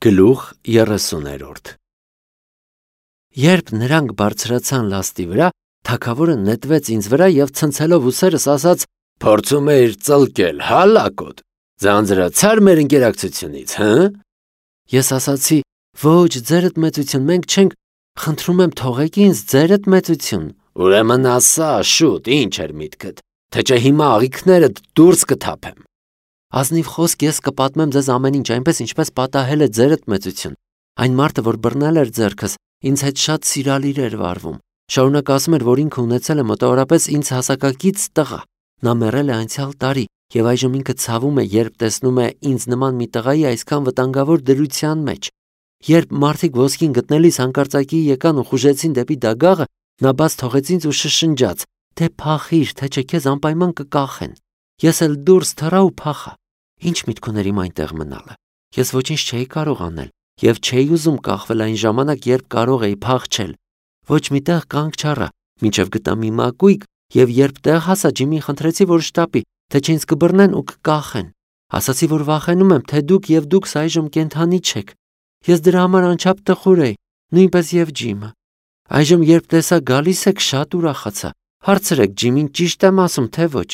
Գլուխ 30-րդ Երբ նրանք բարձրացան լաստի վրա, թագավորը նետվեց ինձ վրա և ցնցելով ուսերս ասաց. «Փորձում էիր ծլկել, հա լակոտ, ձանձրացար մեր ընկերակցությունից, հը»։ Ես ասացի. «Ոչ, ձերդ մեծություն, մենք չենք, խնդրում եմ թողեք ինձ, ձերդ մեծություն»։ Ուրեմն ասա, շուտ, ինչ էր միտքդ, թե չէ հիմա աղիքներդ դուրս կթափեմ։ Ազնիվ խոսք, ես կպատմեմ ձեզ ամեն ինչ, այնպես ինչպես պատահել է ձերդ մեծություն։ Այն մարդը, որ բռնել էր ձեռքս, ինձ հետ շատ սիրալիր էր վարվում։ Շարունակ ասում էր, որ ինքը ունեցել է մոտավորապես ինձ հասակակից տղա։ Նա մեռել է անցյալ տարի և այժմ ինքը ցավում է, երբ տեսնում է ինձ նման մի տղայի այսքան վտանգավոր դրության մեջ։ Երբ մարդիկ ոսկին գտնելիս հանկարծակի եկան ու խուժեցին դեպի դագաղը, նա բաց թողեց ինձ ու շշնջաց. «Դե փախիր, թե չէ քեզ անպայման կկախեն»։ Ես էլ դուրս թռա ու փախա։ Ինչ միտք ուներ իմ այնտեղ մնալը։ Ես ոչինչ չէի կարող անել և չէի ուզում կախվել այն ժամանակ, երբ կարող էի փախչել։ Ոչ մի տեղ կանգ չառա, մինչև գտա մի մակույկ, և երբ տեղ հասա, Ջիմին խնդրեցի, որ շտապի, թե չէ ինձ կբռնեն ու կկախեն։ Ասացի, որ վախենում եմ, թե դուքս այժմ կենդանի չեք։ Ես դրա համար անչափ տխուր էի, նույնպես և Ջիմը։ Այժմ երբ տեսա գալիս եք, շատ ուրախացա։ Հարցրեք Ջիմին, ճիշտ եմ ասում, թե ոչ։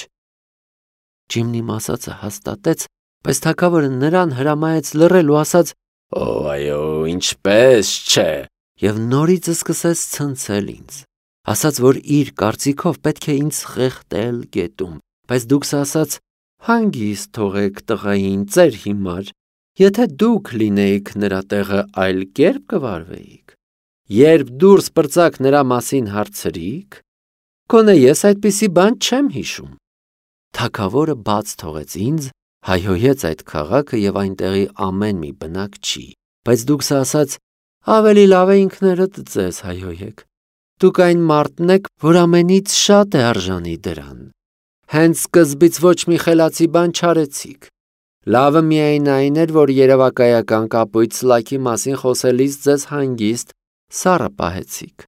Ջիմն իմ ասածը հաստատեց, բայց թագավորը նրան հրամայեց լռել ու ասաց. «Օ, այո, ինչպես չէ», և նորից սկսեց ցնցել ինձ։ Ասաց, որ իր կարծիքով պետք է ինձ խեղդել գետում, բայց դուքս ասաց. «Հանգիստ թողեք տղային ձեր հիմար, եթե դուք լինեիք նրա տեղը, այլ կերպ կվարվեիք։ Երբ դուրս պրծաք նրա մասին հարցրիք, գոնե ես այդպիսի բան չեմ հիշում»։ Թագավորը բաց թողեց ինձ, հայհոյեց այդ քաղաքը և այնտեղի ամեն մի բնակչի, բայց դուքս ասաց. «Ավելի լավ է ինքներդ ձեզ հայհոյեք։ Դուք այն մարդն եք, որ ամենից շատ է արժանի դրան։ Հենց սկզբից ոչ մի խելացի բան չարեցիք։ Լավը միայն այն էր, որ երևակայական կապույտ սլաքի մասին խոսելիս ձեզ հանգիստ սառը պահեցիք։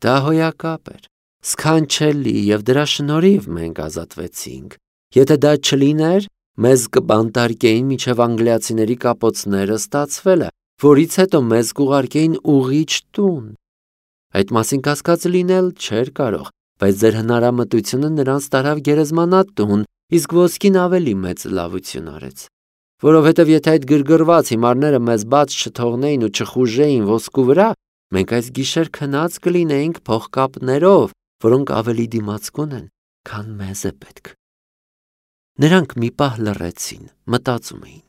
Դա հոյակապ էր, սքանչելի, և դրա շնորհիվ մենք ազատվեցինք։ Եթե դա չլիներ, մեզ կբանտարկեին մինչև անգլիացիների կապոցները ստացվելը, որից հետո մեզ կուղարկեին ուղիղ տուն։ Այդ մասին կասկած լինել չէր կարող, բայց ձեր հնարամտությունը նրանց տարավ գերեզմանատուն, իսկ ոսկին ավելի մեծ լավություն արեց։ Որովհետև եթե այդ գրգռված հիմարները մեզ բաց չթողնեին ու չխուժեին ոսկու վրա, մենք այս գիշեր քնած կլինեինք փողկապներով, որոնք ավելի դիմացկուն են, քան մեզ է պետք։ Նրանք մի պահ լռեցին, մտածում էին։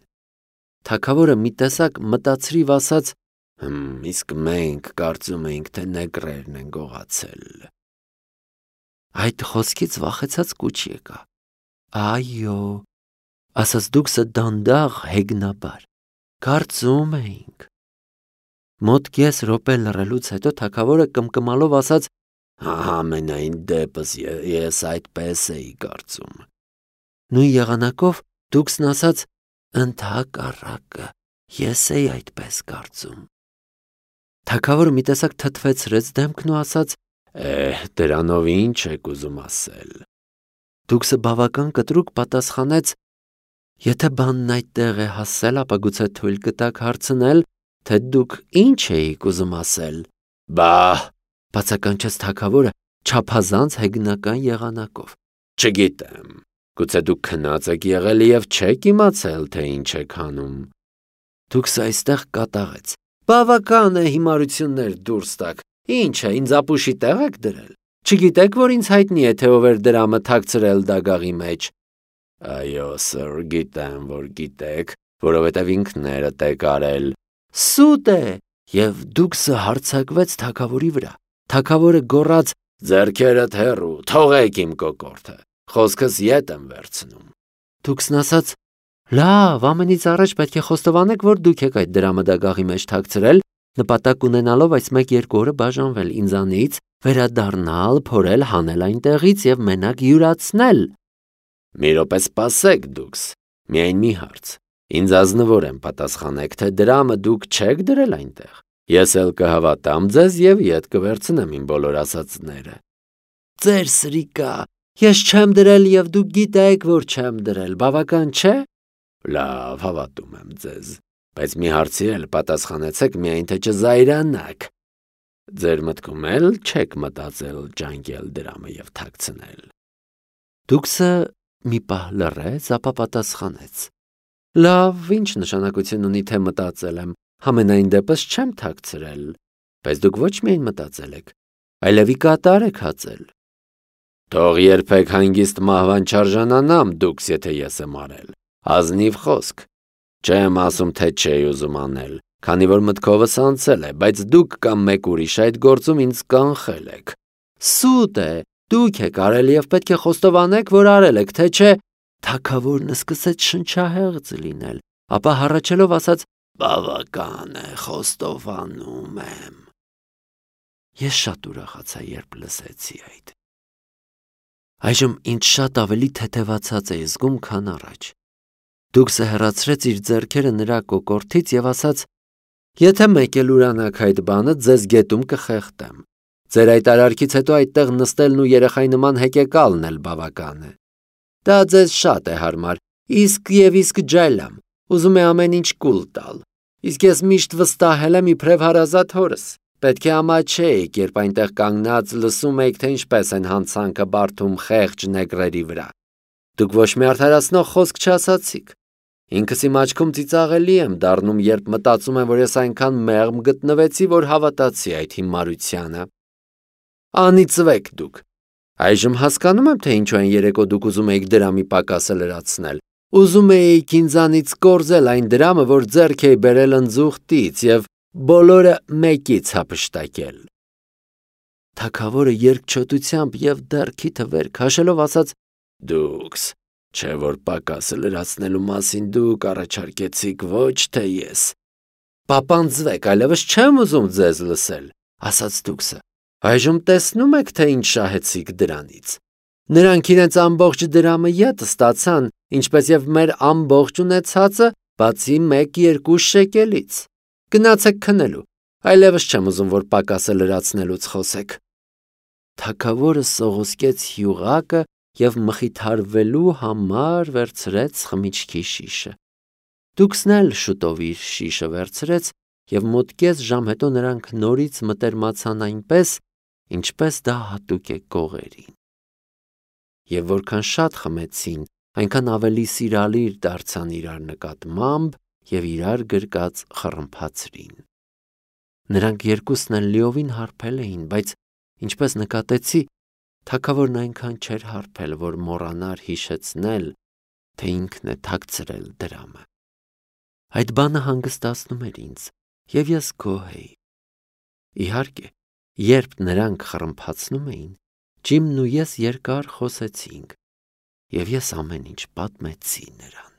Թագավորը մի տեսակ մտածրիվ ասաց. «Իսկ մենք կարծում էինք, թե նեգրերն են գողացել»։ Այդ խոսքից վախեցած կուչ եկա։ «Այո», ասաց դուքսը դանդաղ հեգնաբար, «կարծում էինք»։ Մոտ կես րոպե լռելուց հետո թագավորը կմկմալով ասաց. «Համենայն դեպս ես այդպես էի կարծում»։ Նույն եղանակով դուքսն ասաց. «Ընդհակառակը, ես էի այդպես կարծում»։ Թագավորը մի տեսակ թթվեցրեց դեմքն ու ասաց. «Դրանով ինչ եք ուզում ասել»։ Դուքսը բավական կտրուկ պատասխանեց. «Եթե բանն այդտեղ է հասել, ապա գուցե թույլ կտաք հարցնել, թե դուք ինչ էիք ուզում ասել»։ Բա՛հ, բացականչեց թագավորը չափազանց հեգնական եղանակով։ «Չգիտեմ, գուցե դուք քնած եք եղել և չեք իմացել, թե ինչ եք անում»։ Դուքսը այստեղ կատաղեց. «Բավական է հիմարություններ դուրս տաք, ինչ է, ինձ ապուշի տեղ եք դրել։ Չգիտեք, որ ինձ հայտնի է, թե ով էր դրամը թաքցրել դագաղի մեջ»։ «Այո, սըր, գիտեմ, որ գիտեք, որովհետև ինքներդ եք արել»։ «Սուտ է»։ Եվ դուքսը հարձակվեց թագավորի վրա։ Թագավորը գոռաց. «Ձեռքերդ հեռու, թողեք իմ կոկորդը, խոսքս ետ եմ վերցնում»։ Դուքսն ասաց. «Լավ, ամենից առաջ պետք է խոստովանեք, որ դուք եք այդ դրամը դագաղի մեջ թաքցրել, նպատակ ունենալով այս 1-2 օրը բաժանվել ինձանից, վերադառնալ, փորել, հանել այնտեղից և մենակ յուրացնել»։ «Մի րոպե սպասեք դուքս, միայն մի հարց, ինձ ազնվոր եմ պատասխանեք, թե դրամը դուք չեք դրել այնտեղ։ Ես էլ կհավատամ ձեզ և ետ կվերցնեմ իմ բոլոր ասածները»։ «Ձեր սրիկա, ես չեմ դրել և դուք գիտեք, որ չեմ դրել, բավական չէ»։ «Լավ, հավատում եմ ձեզ, Բայց մի հարցի էլ պատասխանեցեք միայն թե չզայրանաք։ Ձեր մտքում էլ չեք մտածել ջանկել դրամը և թաքցնել։ Դուքսը մի պահ լռեց, ապա պատասխանեց. Լավ, ինչ նշանակություն ունի թե մտածել եմ, համենայն դեպս չեմ թաքցրել, բայց դուք ոչ միայն մտածել եք, այլև ի կատար եք հածել։ Թող երբեք հանգիստ մահվան չարժանանամ դուքս, եթե ես եմ արել, ազնիվ խոսք, չեմ ասում, թե չէի ուզում անել, քանի որ մտքովս անցել է, բայց դուք կամ մեկ ուրիշ այդ գործում ինձ կանխել եք։ Սուտ է, դուք եք արել և պետք է խոստովանեք, որ արել եք, թե չէ։ Թագավորն սկսեց շնչահեղձ լինել, ապա հառաչելով ասաց. Բավական է, խոստովանում եմ։ Ես շատ ուրախացա, երբ լսեցի այդ։ Այժմ ինձ շատ ավելի թեթևացած էի զգում, քան առաջ։ Դուքսը հեռացրեց իր ձեռքերը նրա կոկորդից և ասաց. Եթե մեկ էլ ուրանաք այդ բանը, ձեզ գետում կխեղդեմ։ Ձեր այդ արարքից հետո այդտեղ նստելն ու երեխայի նման հեկեկալն էլ բավական է։ Դա ձեզ շատ է հարմար, իսկ ջայլ եմ, ուզում է ամեն ինչ կուլ տալ։ Իսկ ես միշտ վստահել եմ իբրև հարազատ հորս։ Պետք է ամաչեիք, երբ այնտեղ կանգնած լսում եք, թե ինչպես են հանցանքը բարդում խեղճ նեգրերի վրա։ Դուք ոչ մի արդարացնող խոսք չասացիք։ Ինքս իմ աչքում ծիծաղելի եմ դառնում, երբ մտածում եմ, որ ես այնքան մեղմ գտնվեցի, որ հավատացի այդ հիմարությանը։ Անիծվեք դուք։ Այժմ հասկանում եմ, թե ինչու այն երեկո դուք ուզում էիք դրամի պակասը լրացնել։ Ուզում էիք ինձանից կորզել այն դրամը, որ ձեռք էի բերել ընձուղտից և բոլորը մեկից հափշտակել։ Թագավորը երկչոտությամբ և դեռ քիթը վեր քաշելով ասաց. Դուքս, չէ որ պակասը լրացնելու մասին դուք առաջարկեցիք, ոչ թե ես։ Պապանձվեք, այլևս չեմ ուզում ձեզ լսել, ասաց դուքսը։ Այժմ տեսնում եք, թե ինչ շահեցիք դրանից։ Նրանք իրենց ամբողջ դրամը ետ ստացան, ինչպես և մեր ամբողջ ունեցածը, բացի 1-2 շեկելից։ Գնացեք քնելու, այլևս չեմ ուզում, որ պակասը լրացնելուց խոսեք։ Թագավորը սողոսկեց հյուղակը և մխիթարվելու համար վերցրեց խմիչքի շիշը։ Դուքսն էլ շուտով իր շիշը վերցրեց և մոտ կես ժամ հետո նրանք նորից մտերմացան այնպես, ինչպես դա հատուկ է գողերին։ Եվ որքան շատ խմեցին, այնքան ավելի սիրալիր դարձան իրար նկատմամբ և իրար գրկած խռմփացրին։ Նրանք երկուսն էլ լիովին հարբել էին, բայց ինչպես նկատեցի, թագավորն այնքան չէր հարբել, որ մոռանար հիշեցնել, թե ինքն է թաքցրել դրամը։ Այդ բանը հանգստացնում էր ինձ, և ես գոհ էի։ Իհարկե, երբ նրանք խռմփացնում էին, Ջիմն ու ես երկար խոսեցինք, և ես ամեն ինչ պատմեցի նրան։